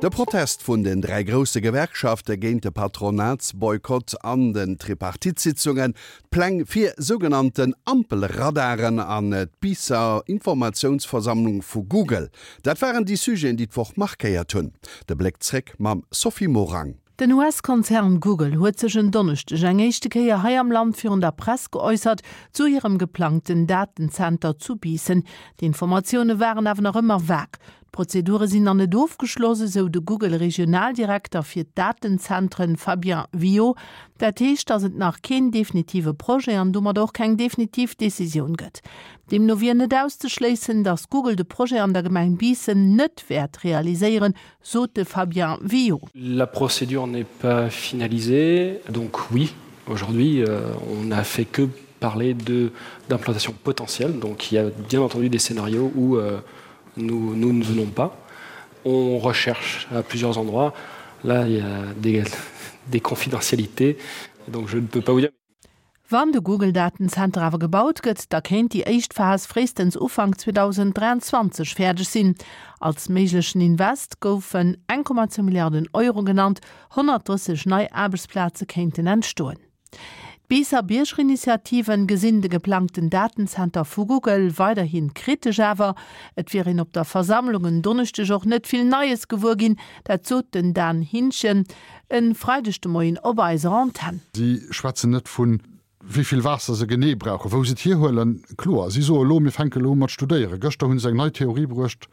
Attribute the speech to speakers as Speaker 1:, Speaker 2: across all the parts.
Speaker 1: De Protest vun den 3 grousse Gewerkschafte géint de Patronatsboykott an den Tripartite-Sitzungen, d'Pläng fir sougenannten Ampelradaren an d'Biisser Informatiounsversammlung vu Google, dat waren déi Sujeten, déi d'Woch markéiert hunn. De Bléck zréck mam Sophie Morang.
Speaker 2: Den US-Konzern Google huet sech en Donneschdeg eng éischte Kéier hei am Land virun der Press geäussert zu hirem geplangten Datenzenter zu Biissen. D'Informatioune waren awer nach ëmmer vag. D'Prozedure sinn nach net ofgeschloss, esou de Google-Regionaldirekter fir d'Datenzentren Fabien Villot. Dat heescht, datt et nach keen definitive Projet an domat och keng definitiv Decisioun gëtt. Deemno wier net auszeschléissen, datt Google de Projet an der Gemeng Biissen net wäert realiséieren, sot de Fabien Villot.
Speaker 3: La procédure n'est pas finalisée, donc oui, aujourd'hui on n'a fait que parler de d'implantation potentielle, donc il y a bien entendu des scénarios où nous, nous ne venons pas. On recherche à plusieurs endroits. Là, il y a des, des confidentialités, donc je ne peux pas vous dire.
Speaker 2: Wann de Google-Datenzenter awer gebaut gëtt, da kéint déi éischt Phas fréistens Ufank 2023 fäerdeg sinn. Als méiglechen Invest goufen 1,2 Milliarden Euro genannt, 130 nei Aarbechtsplaze kéinten entstoen. D'Biisser Biergerinitiativen gesinn de geplangten Datenzenter vu Google weiderhi kritesch. Awer et wier een op der Versammlung en Donneschdeg och net vill Neies gewuer ginn, dat sot den Dan Hinschen e Freideg de Moien op eiser Antenn.
Speaker 4: Si schwätzen net vun wéi vill Waasser se genee brauchen, wou se et hierhuelen. Kloer, si soe elo, mir fänke elo u mat studéieren. Gëschter hu se eng nei Theorie bruecht,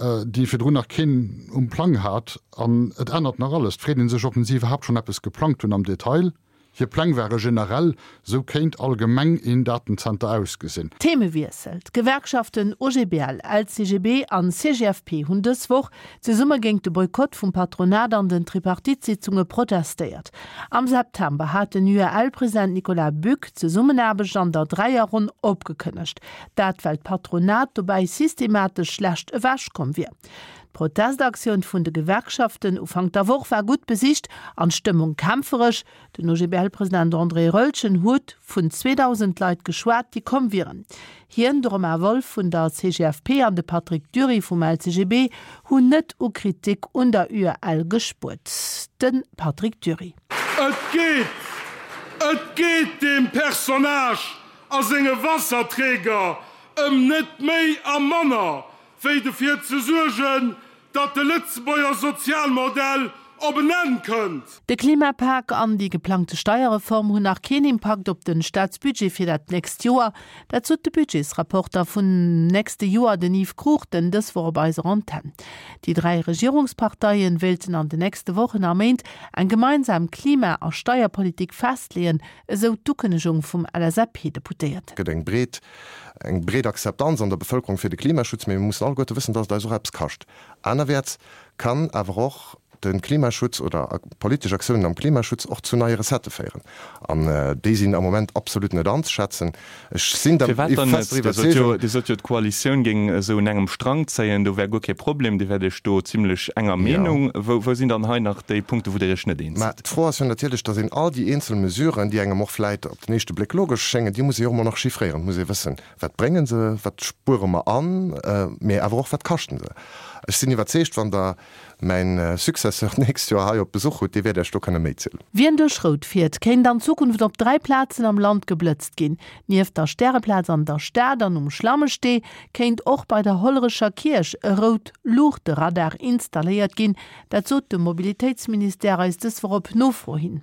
Speaker 4: déi virdrun nach keen um Plang hat. An et ännert nach alles. Et freet ee sech, ob si iwwerhaapt schonn eppes geplangt hunn am Detail. Hir Pläng ware generell, sou kéint allgemeng een Datenzenter ausgesinn.
Speaker 2: Themewiessel, D'Gewerkschaften OGBL, LCGB an CGFP hunn dës Woch zesumme géint de Boykott vum Patronat an den Tripartite-Sitzunge protestéiert. Am September hat den UEL-President Nicolas Buck d'Zesummenaarbecht an der Dräierronn opgekënnegt. Dat well d'Patronat dobäi systematesch schlecht ewechkomm wier. D'Protestaktioun vun de Gewerkschaften Ufank der Woch war gutt besicht an d'Stëmmung kämpferesch. Den OGBL-President André Roeltgen huet vun 2.000 Leit geschwat, déi komm wieren. Hien, de Romain Wolff vun der CGFP an de Patrick Dury vum LCGB hunn net u Kritik un der UEL gespuert. De Patrick Dury.
Speaker 5: Et geet, et geet deem Personnage a senge Wasserträger ëm net méi a manner wéi dofir ze suergen, datt de Lëtzebuerger Sozialmodell op en Enn kënnt.
Speaker 2: De Klimapak an déi geplangte Steierreform hunn nach keen Impakt op den Staatsbudget fir dat nächst Joer. Dat sot de Budgetsrapporter vun nächste Joer, den Yves Cruchten, dës Woch op eiser Antenn. Déi 3 Regierungsparteien wéilten an de nächste Wochen a Méint eng gemeinsam Klima a Steierpolitik festleeën, esou d'Ukënnegung vum LSAP-Deputéierten.
Speaker 6: Gëtt eng breet eng breet Akzeptanz an der Bevëlkerung fir de Klimaschutz, mee mir mussen alleguerte wëssen, dass et eis och eppes kascht. Anerwäerts kann awer och de Klimaschutz oder politesch Aktiounen am Klimaschutz och zu neie Recettë féieren, an déi sinn am Moment absolut net anzeschätzen. Ech sinn der
Speaker 7: Firwat dann net? fester Dir sot jo, Iwwerzeegung. Dir sot jo, d'Koalitioun géing esou un engem Strang zéien, do wär guer kee Problem, Dir wäert Iech do zimlech enger Meenung. Wou, wou sinn dann hei nach déi Punkte, wou Dir Iech net eens
Speaker 6: Mä sidd? d'Fro ass jo natierlech, dass een all déi eenzel Mesuren, déi engem och vläit op den éischte Bléck logesch schéngen, déi muss ee jo och emol nach chiffréieren. Et muss ee wëssen, Wat brénge se, wat spuere mer an, mee awer och, wat kaschten se? Ech sinn iwwerzeegt, wann Der mäin Successeur d'nächst Joer hei op Besuch hutt, dee wäert Iech do kënne méi zielen.
Speaker 2: Wien duerch Rout fiert, kéint an Zukunft op 3 Plazen am Land geblëtzt ginn. Nieft der Stäreplaz an der Stad an um Schlammestee kéint och bei der Hollerecher Kierch e Rout-Luuchte-Radar installéiert ginn. Dat sot de Mobilitéitsministère eis dës Woch op Nofro hin.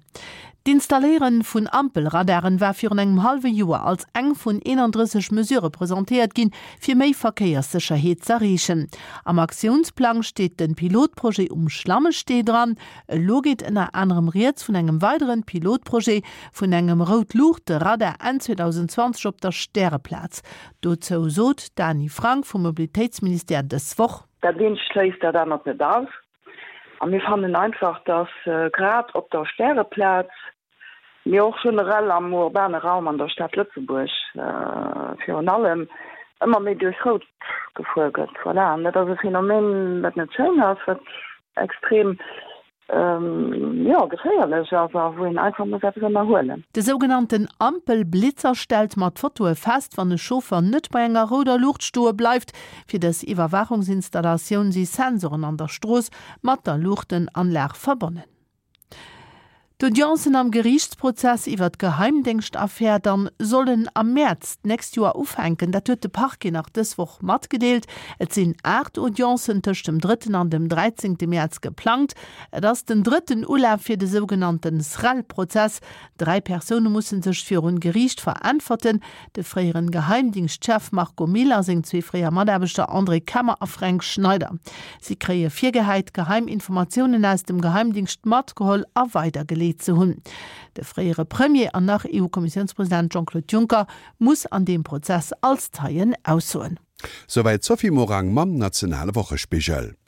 Speaker 2: D'Installéiere vun Ampelradaren war virun engem hallwe Joer als eng vun 31 Mesurë presentéiert ginn, fir méi Verkéierssécherheet z'erreechen. Am Aktiounsplang steet de Pilotprojet um Schlammestee dran. Elo geet ënner anerem rieds vun engem weideren Pilotprojet vun engem Rout-Luuchte-Radar Enn 2020 op der Stäreplaz. Dozou sot d'Dany Frank vum Mobilitéitsministère dës Woch.
Speaker 8: Dat eent schléisst dat anert net aus. A mir fannen einfach, dass grad op der Stäreplaz, mee och generell am urbane Raum an der Stad Lëtzebuerg virun allem, ëmmer méi duerch Rout gefuer gëtt. Voilà. An dat ass e Phänomen, wat net schéin ass, wat extrem. Jo, geféierlech ass a wou een einfach muss eppes ënnerhuelen.
Speaker 2: De sougenannten Ampelblitzer stellt mat Fotoe fest, wann e Chauffer net bei enger rouder Luucht stoe bleift. Fir dës Iwwerwaachungsinstallatioun si Sensoren an der Strooss mat der Luuchtenanlag verbonnen. D'Audiencen am Geriichtsprozess iwwer d'Geheimdéngschtaffär dann sollen am Mäerz d'nächst Joer ufänken. Dat huet de Parquet nach dës Woch matgedeelt. Et sinn 8 Audiencen tëscht dem drëtten an dem dräizéngte Mäerz geplangt. Et ass den drëtten Ulaf fir de sougenannte Srel-Prozess. Dräi Persoune musse sech virun Geriicht veräntwerten, de fréieren Geheimdingschtchef Marco Mille a seng zwee fréier Mataarbechter André Kemmer a Fränk Schneider. Si kréie virgehäit, geheim Informatiounen aus dem Geheimdingscht matgeholl a weidergeleet ze hunn. De fréiere Premier an nach EU-Kommissiounspresident Jean-Claude Juncker muss an deem Prozess als Zeien aussoen.
Speaker 1: Souwäit d'Sophie Morang mam nationale Wochespigel.